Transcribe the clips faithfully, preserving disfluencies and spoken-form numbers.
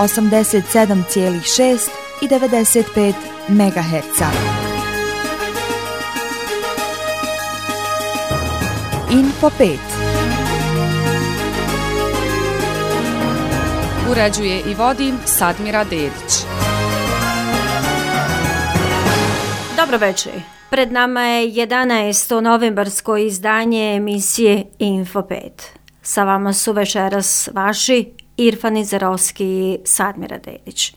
osamdeset sedam zarez šest i devedeset pet megaherca. Info pet. Uređuje i vodi Sadmira Dedić. Dobro večer. Pred nama je jedanaesto novembarsko izdanje emisije Info pet. Sa vama su večeras vaši Irfan Izerovski i Sadmira Dedić.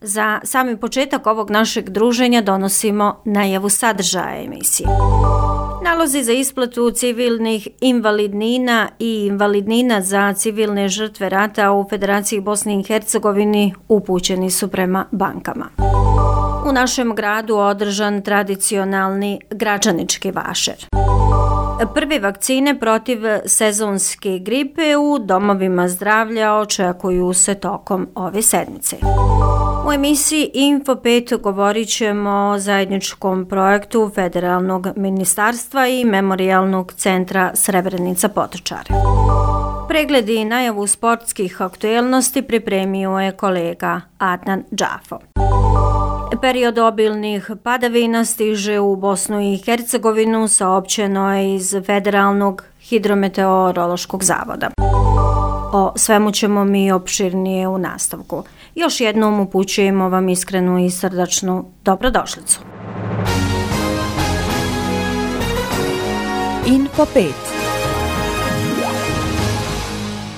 Za sami početak ovog našeg druženja donosimo najavu sadržaja emisije. Nalozi za isplatu civilnih invalidnina i invalidnina za civilne žrtve rata u Federaciji Bosne i Hercegovini upućeni su prema bankama. U našem gradu održan tradicionalni gračanički vašer. Prve vakcine protiv sezonske gripe u domovima zdravlja očekuju se tokom ove sedmice. U emisiji Info pet govorit ćemo o zajedničkom projektu Federalnog ministarstva i Memorijalnog centra Srebrenica Potočare. Pregledi i najavu sportskih aktuelnosti pripremio je kolega Adnan Džafo. Period obilnih padavina stiže u Bosnu i Hercegovinu, saopćeno je iz Federalnog hidrometeorološkog zavoda. O svemu ćemo mi opširnije u nastavku. Još jednom upućujemo vam iskrenu i srdačnu dobrodošlicu. Info pet.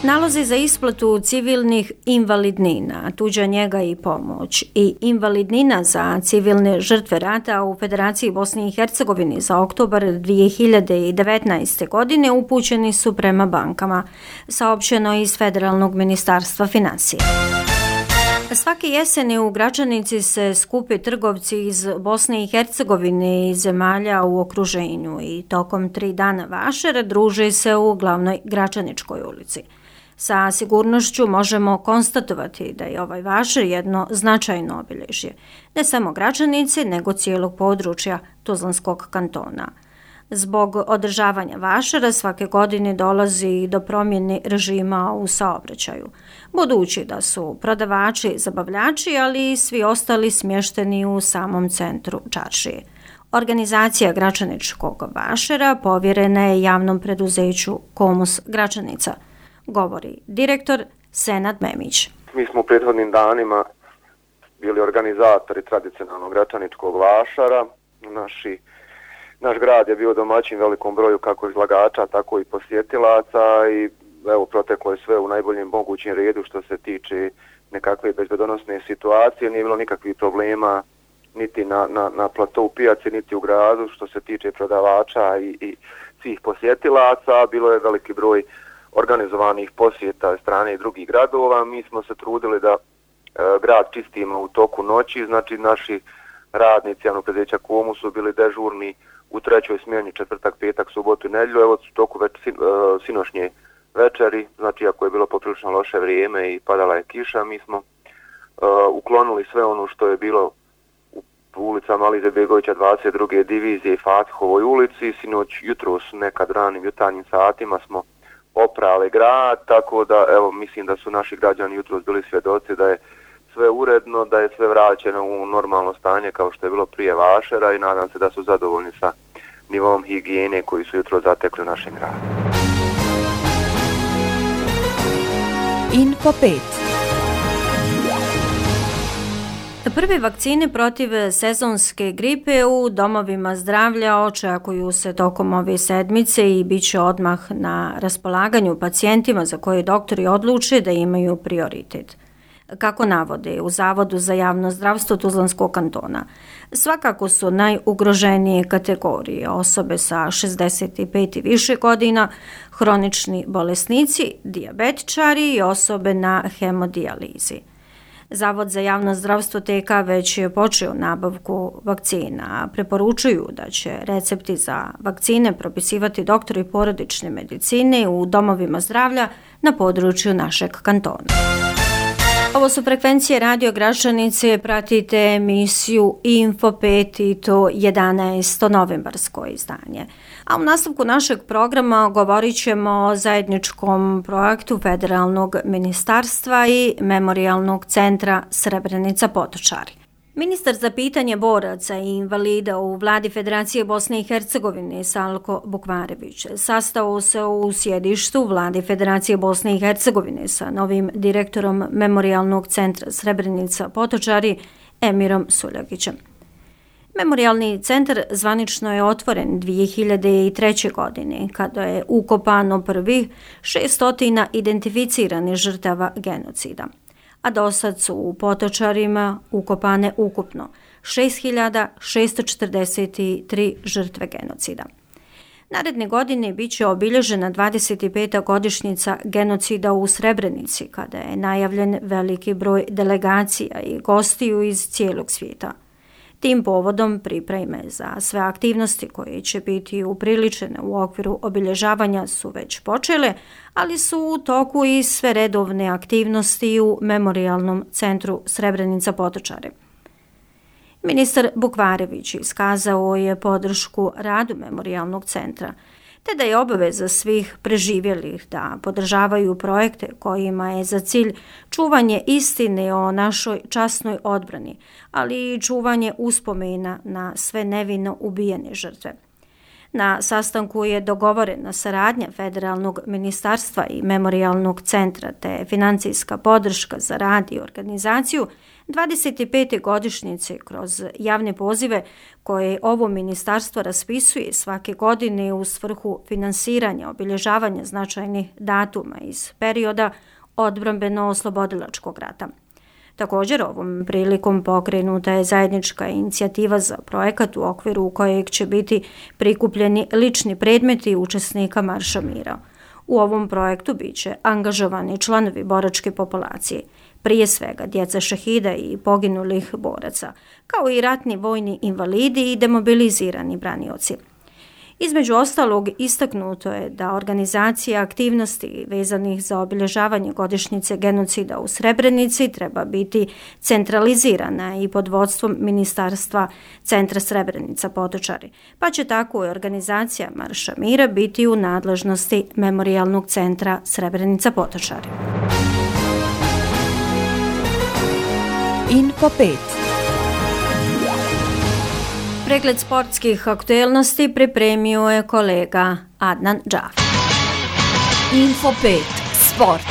Nalozi za isplatu civilnih invalidnina, tuđa njega i pomoć i invalidnina za civilne žrtve rata u Federaciji Bosne i Hercegovini za oktobar dvije hiljade devetnaeste. godine upućeni su prema bankama, saopćeno iz Federalnog ministarstva financija. Svake jeseni u Gračanici se skupe trgovci iz Bosne i Hercegovine i zemalja u okruženju i tokom tri dana vašera druže se u glavnoj Gračaničkoj ulici. Sa sigurnošću možemo konstatovati da je ovaj vašer jedno značajno obilježje, ne samo Gračanice, nego cijelog područja Tuzlanskog kantona. Zbog održavanja vašera svake godine dolazi do promjene režima u saobraćaju, budući da su prodavači, zabavljači, ali i svi ostali smješteni u samom centru čaršije. Organizacija Gračaničkog vašera povjerena je javnom preduzeću Komus Gračanica, govori direktor Senad Memić. Mi smo u prethodnim danima bili organizatori tradicionalnog gračaničkog vašara. Naši, naš grad je bio domaćin velikom broju kako izlagača, tako i posjetilaca i evo, proteklo je sve u najboljem mogućem redu što se tiče nekakve bezbedonosne situacije. Nije bilo nikakvih problema niti na, na, na platou pijaci, niti u gradu što se tiče prodavača i, i svih posjetilaca. Bilo je veliki broj organizovanih posjeta strane drugih gradova. Mi smo se trudili da e, grad čistimo u toku noći, znači naši radnici javnog preduzeća Komu su bili dežurni u trećoj smjeni, četvrtak, petak, subotu i nedjelju. Evo u toku već sin, e, sinošnje večeri, znači ako je bilo poprilično loše vrijeme i padala je kiša, mi smo e, uklonili sve ono što je bilo u ulicama Ali Izetbegovića dvadeset druge divizije i Fatihovoj ulici. Sinoć, jutros, nekad ranim jutarnjim satima smo oprali grad, tako da evo mislim da su naši građani jutros bili svjedoci da je sve uredno, da je sve vraćeno u normalno stanje kao što je bilo prije vašera i nadam se da su zadovoljni sa nivom higijene koji su jutros zatekli u našem gradu. Info pet. Prve vakcine protiv sezonske gripe u domovima zdravlja očekuju se tokom ove sedmice i bit će odmah na raspolaganju pacijentima za koje doktori odluče da imaju prioritet. Kako navode u Zavodu za javno zdravstvo Tuzlanskog kantona, svakako su najugroženije kategorije osobe sa šezdeset pet i više godina, hronični bolesnici, dijabetičari i osobe na hemodijalizi. Zavod za javno zdravstvo T K već je počeo nabavku vakcina. Preporučuju da će recepti za vakcine propisivati doktori porodične medicine u domovima zdravlja na području našeg kantona. Ovo su frekvencije Radio Gračanice, pratite emisiju Info pet i to jedanaesto novembarsko izdanje. A u nastavku našeg programa govorit ćemo o zajedničkom projektu Federalnog ministarstva i Memorijalnog centra Srebrenica Potočari. Ministar za pitanje boraca i invalida u vladi Federacije Bosne i Hercegovine Salko Bukvarević sastao se u sjedištu vladi Federacije Bosne i Hercegovine sa novim direktorom Memorijalnog centra Srebrenica Potočari Emirom Suljagićem. Memorijalni centar zvanično je otvoren dvije hiljade treće. godine kada je ukopano prvih šeststotina identificiranih žrtava genocida, a do sad su u Potočarima ukopane ukupno šest hiljada šessto četrdeset tri žrtve genocida. Naredne godine bit će obilježena dvadeset peta godišnjica genocida u Srebrenici, kada je najavljen veliki broj delegacija i gostiju iz cijelog svijeta. Tim povodom pripreme za sve aktivnosti koje će biti upriličene u okviru obilježavanja su već počele, ali su u toku i sve redovne aktivnosti u Memorijalnom centru Srebrenica Potočari. Ministar Bukvarević iskazao je podršku radu Memorijalnog centra, te da je obaveza svih preživjelih da podržavaju projekte kojima je za cilj čuvanje istine o našoj časnoj odbrani, ali i čuvanje uspomena na sve nevino ubijene žrtve. Na sastanku je dogovorena saradnja Federalnog ministarstva i Memorijalnog centra te financijska podrška za rad i organizaciju dvadeset pete godišnjice kroz javne pozive koje ovo ministarstvo raspisuje svake godine u svrhu finansiranja obilježavanja značajnih datuma iz perioda odbrambeno-oslobodilačkog rata. Također, ovom prilikom pokrenuta je zajednička inicijativa za projekat u okviru kojeg će biti prikupljeni lični predmeti učesnika Marša mira. U ovom projektu bit će angažovani članovi boračke populacije, prije svega djeca šehida i poginulih boraca, kao i ratni vojni invalidi i demobilizirani branioci. Između ostalog, istaknuto je da organizacija aktivnosti vezanih za obilježavanje godišnjice genocida u Srebrenici treba biti centralizirana i pod vodstvom Ministarstva centra Srebrenica Potočari, pa će tako i organizacija Marša mira biti u nadležnosti Memorijalnog centra Srebrenica Potočari. Info pet. Pregled sportskih aktuelnosti pripremio je kolega Adnan Džaf. Info pet. Sport.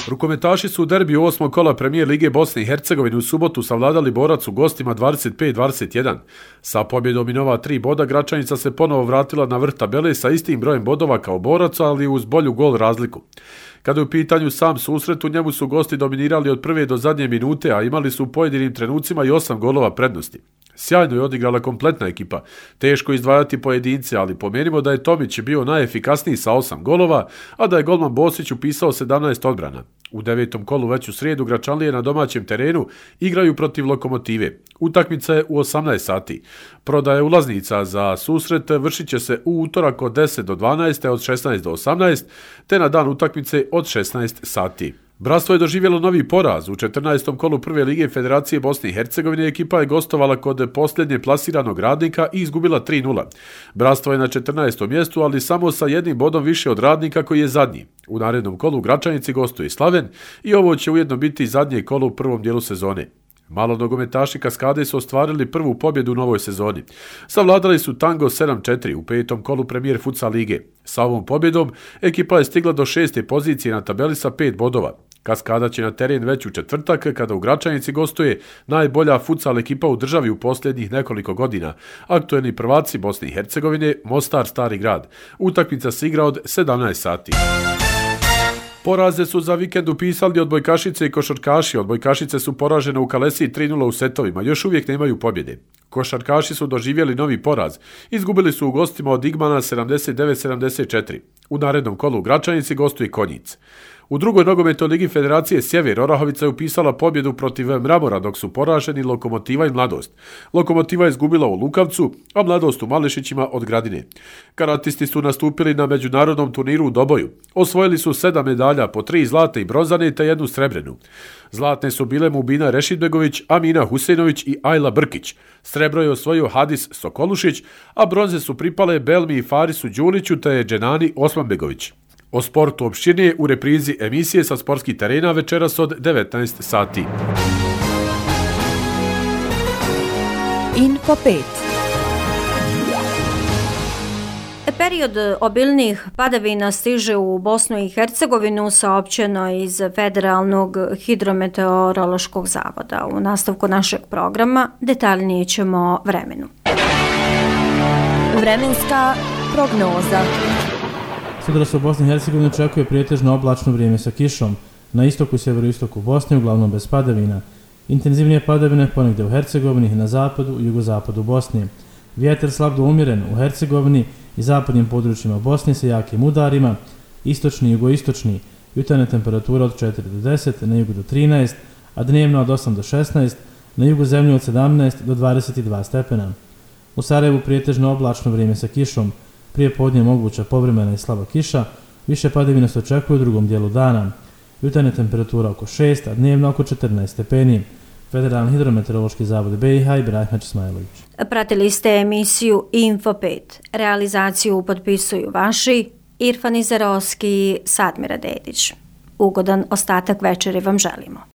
Rukometaši su u derbiju osmog kola Premijer Lige Bosne i Hercegovine u subotu savladali Borac u gostima dvadeset pet dvadeset jedan. Sa pobjedom i nova tri boda Gračanica se ponovo vratila na vrh tabele sa istim brojem bodova kao Borac, ali uz bolju gol razliku. Kada je u pitanju sam susret, u njemu su gosti dominirali od prve do zadnje minute, a imali su u pojedinim trenucima i osam golova prednosti. Sjajno je odigrala kompletna ekipa. Teško izdvajati pojedince, ali pomenimo da je Tomić bio najefikasniji sa osam golova, a da je golman Bosić upisao sedamnaest odbrana. U devetom kolu već u srijedu Gračanlije na domaćem terenu igraju protiv Lokomotive. Utakmica je u osamnaest sati. Prodaje ulaznica za susret vršit će se u utorak od deset do dvanaest, od šesnaest do osamnaest, te na dan utakmice od šesnaest sati. Bratstvo je doživjelo novi poraz. U četrnaestom kolu Prve lige Federacije Bosne i Hercegovine ekipa je gostovala kod posljednje plasiranog Radnika i izgubila tri nula. Bratstvo je na četrnaestom mjestu, ali samo sa jednim bodom više od Radnika koji je zadnji. U narednom kolu u Gračanici gostuje Slaven i ovo će ujedno biti zadnje kolo u prvom dijelu sezone. Malo nogometaši Kaskade su ostvarili prvu pobjedu u novoj sezoni. Savladali su Tango sedam četiri u petom kolu Premijer Futsal lige. Sa ovom pobjedom ekipa je stigla do šeste pozicije na tabeli sa pet bodova. Kaskada će na teren već u četvrtak kada u Gračanici gostuje najbolja futsal ekipa u državi u posljednjih nekoliko godina, aktuelni prvaci Bosne i Hercegovine Mostar Stari grad. Utakmica se igra od sedamnaest sati. Poraze su za vikend upisali odbojkašice i košarkaši. Odbojkašice su poražene u Kalesiji tri nula u setovima, još uvijek nemaju pobjede. Košarkaši su doživjeli novi poraz. Izgubili su u gostima od Igmana sedamdeset devet sedamdeset četiri. U narednom kolu u Gračanici gostuje Konjic. U drugoj nogometnoj ligi Federacije Sjever Orahovica je upisala pobjedu protiv Mramora dok su poraženi Lokomotiva i Mladost. Lokomotiva je izgubila u Lukavcu, a Mladost u Mališićima od Gradine. Karatisti su nastupili na međunarodnom turniru u Doboju. Osvojili su sedam medalja, po tri zlate i bronzane te jednu srebrenu. Zlatne su bile Mubina Rešidbegović, Amina Husejnović i Ajla Brkić. Srebro je osvojio Hadis Sokolušić, a bronze su pripale Belmi i Farisu Đuliću te Dženani Osmanbegović. O sportu opširnije u reprizi emisije sa sportskih terena večeras od devetnaest sati. Info pet. Period obilnih padavina stiže u Bosnu i Hercegovinu, saopćeno iz Federalnog hidrometeorološkog zavoda. U nastavku našeg programa detaljnije ćemo o vremenu. Vremenska prognoza. Sutra se u Bosni i Hercegovini očekuje prijetežno oblačno vrijeme sa kišom. Na istoku i sjeveroistoku Bosne, uglavnom bez padavina. Intenzivnije padavine ponegdje u Hercegovini, na zapadu i jugozapadu Bosne. Vjetar slab do umjeren u Hercegovini i zapadnim područjima Bosne sa jakim udarima, istočni i jugoistočni, jutarnja temperatura od četiri do deset, na jugu do trinaest, a dnevno od osam do šesnaest, na jugu zemlje od sedamnaest do dvadeset dva stepena. U Sarajevu prijetežno oblačno vrijeme sa kišom, prije podne moguća povremena i slaba kiša, više padavina se očekuje u drugom dijelu dana. Jutarnja temperatura oko šest, a dnevno oko četrnaest stepeni. Federalni hidrometeorološki zavod B i H i Brahim Ismailović. Pratili ste emisiju Info pet. Realizaciju potpisuju vaši Irfan Izerovski i Sadmira Dedić. Ugodan ostatak večeri vam želimo.